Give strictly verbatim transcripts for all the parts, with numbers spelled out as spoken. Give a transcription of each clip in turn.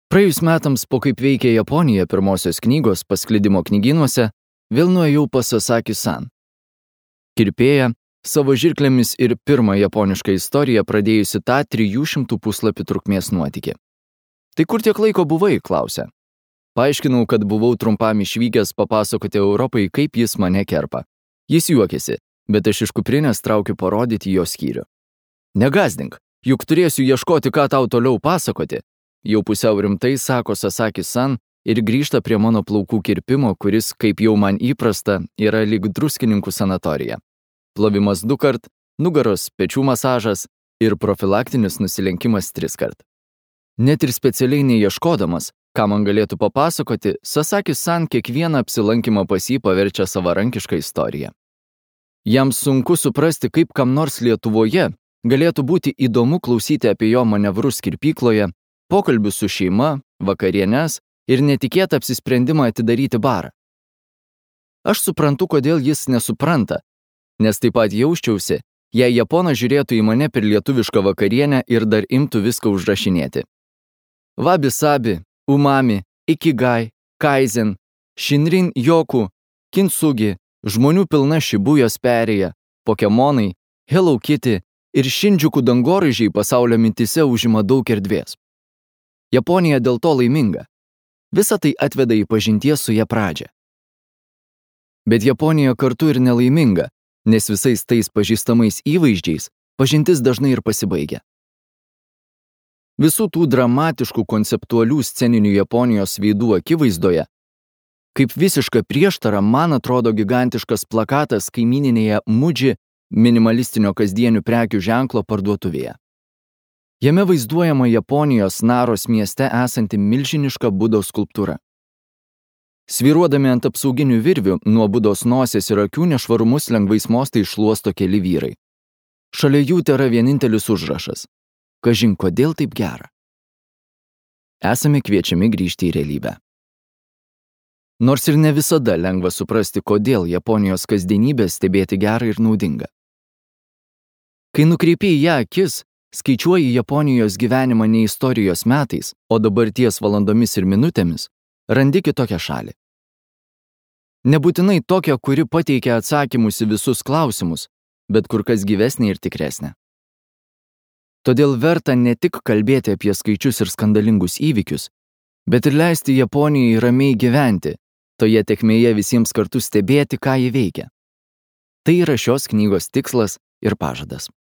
Praėjus metams po kaip veikia Japonija pirmosios knygos pasklidimo knygynuose, vėl nuėjau pas Sasaki-san. Kirpėja, savo žirklėmis ir pirmą japonišką istoriją pradėjusi tą trijų šimtų puslapių trukmės nuotykį. Tai kur tiek laiko buvai, klausė. Paaiškinau, kad buvau trumpam išvykęs papasakoti Europai, kaip jis mane kerpa. Jis juokėsi, bet aš iš kuprinės traukiu parodyti jo skyrių. Negazdink, juk turėsiu ieškoti, ką tau toliau pasakoti. Jau pusiau rimtai sako Sasaki-san ir grįžta prie mano plaukų kirpimo, kuris, kaip jau man įprasta, yra lyg druskininkų sanatorija. Plovimas du kart, nugaros, pečių masažas ir profilaktinis nusilenkimas tris kart. Net ir specialiai neieškodamas, ką man galėtų papasakoti, Sasaki-san kiekvieną apsilankymą pas jį paverčia savarankišką istoriją. Jam sunku suprasti, kaip kam nors Lietuvoje galėtų būti įdomu klausyti apie jo manevrus kirpykloje, pokalbius su šeima, vakarienes ir netikėtą apsisprendimą atidaryti barą. Aš suprantu, kodėl jis nesupranta, nes taip pat jausčiausi, jei Japonas žiūrėtų į mane per lietuvišką vakarienę ir dar imtų viską užrašinėti. Wabi-sabi, umami, ikigai, kaizen, shinrin yoku, kintsugi, žmonių pilna šibujos perėja, pokemonai, Hello Kitty ir Shinjuku dangoraižiai pasaulio mintise užima daug erdvės. Japonija dėl to laiminga. Visa tai atveda į pažinties su ja pradžią. Bet Japonija kartu ir nelaiminga, nes visais tais pažįstamais įvaizdžiais pažintis dažnai ir pasibaigia. Visų tų dramatiškų konceptualių sceninių Japonijos veidų akivaizdoje, kaip visiška prieštara man atrodo gigantiškas plakatas kaimyninėje Muji minimalistinio kasdienių prekių ženklo parduotuvėje. Jame vaizduojama Japonijos Naros mieste esanti milžiniška Budos skulptūra. Svyruodami ant apsauginių virvių, nuo Budos nosies ir akių nešvarumus lengvais mostais šluosto keli vyrai. Šalia jų tėra vienintelis užrašas. Kažin, kodėl taip gera? Esame kviečiami grįžti į realybę. Nors ir ne visada lengva suprasti, kodėl Japonijos kasdienybė stebėti gera ir naudinga. Kai nukreipi į ją akis, skaičiuoji Japonijos gyvenimą ne istorijos metais, o dabarties valandomis ir minutėmis, randi kitokią šalį. Nebūtinai tokią, kuri pateikia atsakymus į visus klausimus, bet kur kas gyvesnė ir tikresnė. Todėl verta ne tik kalbėti apie skaičius ir skandalingus įvykius, bet ir leisti Japonijai ramiai gyventi, toje tekmėje visiems kartu stebėti, ką ji veikia. Tai yra šios knygos tikslas ir pažadas.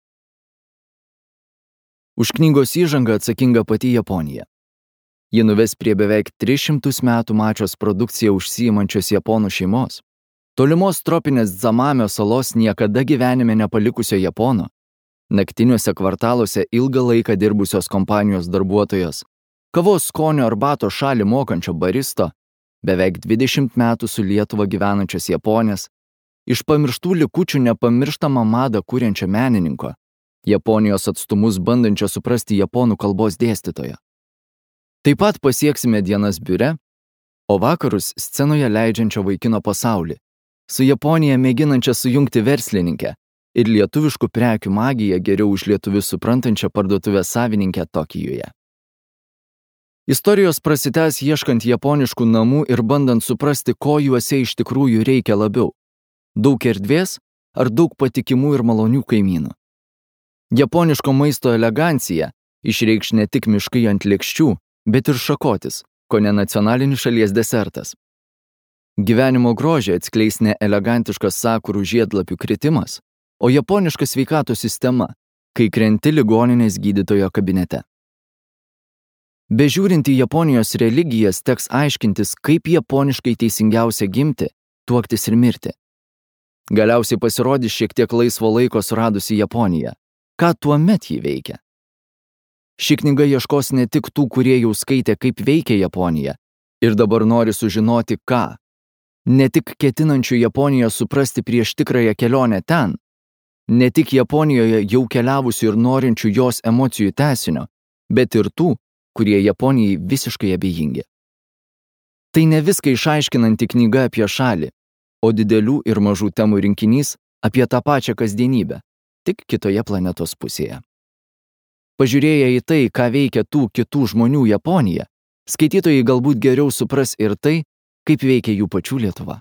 Už knygos įžangą atsakinga pati Japonija. Ji nuves prie beveik tris šimtus metų mačios produkciją užsiimančios japonų šeimos, tolimos tropinės Dzamamio salos niekada gyvenime nepalikusio Japono, naktiniuose kvartaluose ilgą laiką dirbusios kompanijos darbuotojos, kavos skonio arbato šalį mokančio baristo, beveik dvidešimt metų su Lietuva gyvenančios Japonės, iš pamirštų likučių nepamirštamą madą kuriančio menininko, Japonijos atstumus bandančio suprasti japonų kalbos dėstytojo. Taip pat pasieksime dienas biure, o vakarus scenoje leidžiančio vaikino pasaulį, su Japonija mėginančia sujungti verslininkę ir lietuviškų prekių magiją geriau už lietuvius suprantančią parduotuvės savininkę Tokijuje. Istorijos prasitęs ieškant japoniškų namų ir bandant suprasti, ko juose iš tikrųjų reikia labiau – daug erdvės ar daug patikimų ir malonių kaimynų. Japoniško maisto elegancija išreikš ne tik miškai ant lėkščių, bet ir šakotis, ko ne nacionalinis šalies desertas. Gyvenimo grožį atskleis ne elegantiškas sakurų žiedlapių kritimas, o japoniška sveikatos sistema, kai krenti ligoninės gydytojo kabinete. Bežiūrint į Japonijos religijas, teks aiškintis, kaip japoniškai teisingiausia gimti, tuoktis ir mirti. Galiausiai pasirodys šiek tiek laisvo laiko suradusi Japonija. Ką tuomet jį veikia? Ši knyga ieškos ne tik tų, kurie jau skaitė, kaip veikia Japonija, ir dabar nori sužinoti, ką. Ne tik ketinančių Japoniją suprasti prieš tikrąją kelionę ten, ne tik Japonijoje jau keliavusių ir norinčių jos emocijų tęsinio, bet ir tų, kurie Japonijai visiškai abejingi. Tai ne viską išaiškinanti knyga apie šalį, o didelių ir mažų temų rinkinys apie tą pačią kasdienybę, tik kitoje planetos pusėje. Pažiūrėję į tai, ką veikia tų kitų žmonių Japonija, skaitytojai galbūt geriau supras ir tai, kaip veikia jų pačių Lietuva.